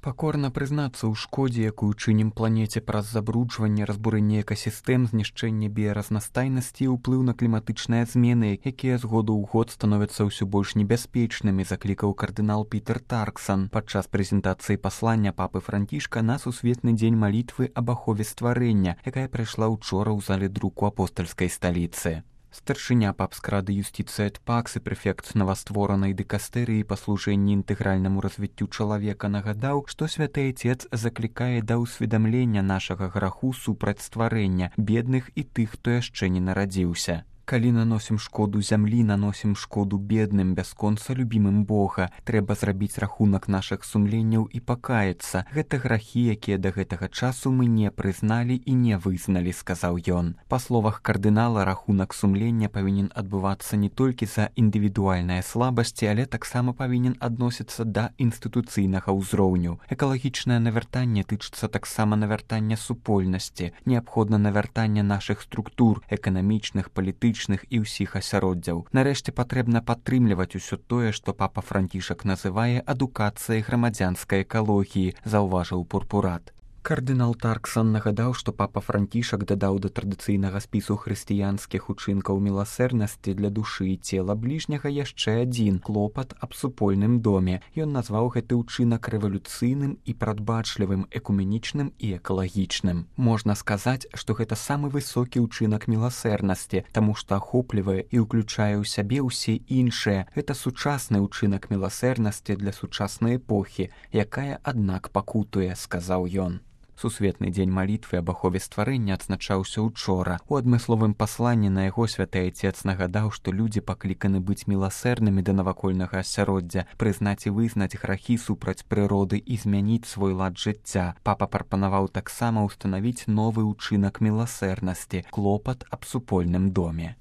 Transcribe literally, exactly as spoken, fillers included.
Пакорна прызнацца ў шкодзе, якую чынім планеце праз забруджванне, разбурэнне экасістэм, знішчэнне біяразнастайнасці і ўплыў на кліматычныя змены, якія з году ў год становяцца ўсё больш небяспечнымі, заклікаў кардынал Пітер Тарксан падчас прэзентацыі паслання папы Францішка на сусветны дзень малітвы аб ахове стварэння, якая прайшла ўчора ў зале друку апостальскай сталіцы. Старшыня папскрады юстыцыі эт пакс і прэфект новастворанай дыкастэрыі па служэнні інтэгральнаму развіццю чалавека нагадаў, што святы Айцец заклікае да ўсведамлення нашага граху супраць стварэння, бедных і тых, хто яшчэ не нарадзіўся. Калі наносім шкоду зямлі, наносім шкоду бедным, бясконца любімым Бога. Трэба зрабіць рахунак нашых сумленняў і пакаяцца. Гэта грахі, якія да гэтага часу мы не прызналі і не вызналі, сказаў ён. Па словах кардынала, рахунак сумлення павінен адбывацца не толькі за індывідуальныя слабасці, але таксама павінен адносіцца да інстытуцыйнага ўзроўню. Экалагічнае навяртанне тычыцца таксама навяртання супольнасці. Неабходна навяртанне нашых структур, эканамічных, палітычных, і ўсіх асяроддзяў. Нарэшце патрэбна падтрымліваць усё тое, што папа Францішак называе адукацыяй грамадзянскай экалогіі, заўважыў пурпурат. Кардынал Тарксан нагадаў, што папа Францішак дадаў да традыцыйнага спісу хрысціянскіх учынкаў міласэрнасці для душы і цела бліжняга яшчэ адзін клопат аб супольным доме. Ён назваў гэты ўчынак рэвалюцыйным і прадбачлівым, экуменічным і экалагічным. Можна сказаць, што гэта самы высокі ўчынак міласэрнасці, таму што ахоплівае і ўключае ў сябе ўсе іншыя. Гэта сучасны ўчынак міласэрнасці для сучаснай эпохі, якая, аднак, пакутуе, сказаў ён. Сусветны дзень малітвы аб ахове стварэння адзначаўся ўчора. У адмысловым пасланні на яго святы Айцец нагадаў, што людзі пакліканы быць міласэрнымі да навакольнага асяроддзя, прызнаць і вызнаць грахі супраць прыроды і змяніць свой лад жыцця. Папа прапанаваў таксама ўстанавіць новы ўчынак міласэрнасці — клопат аб супольным доме.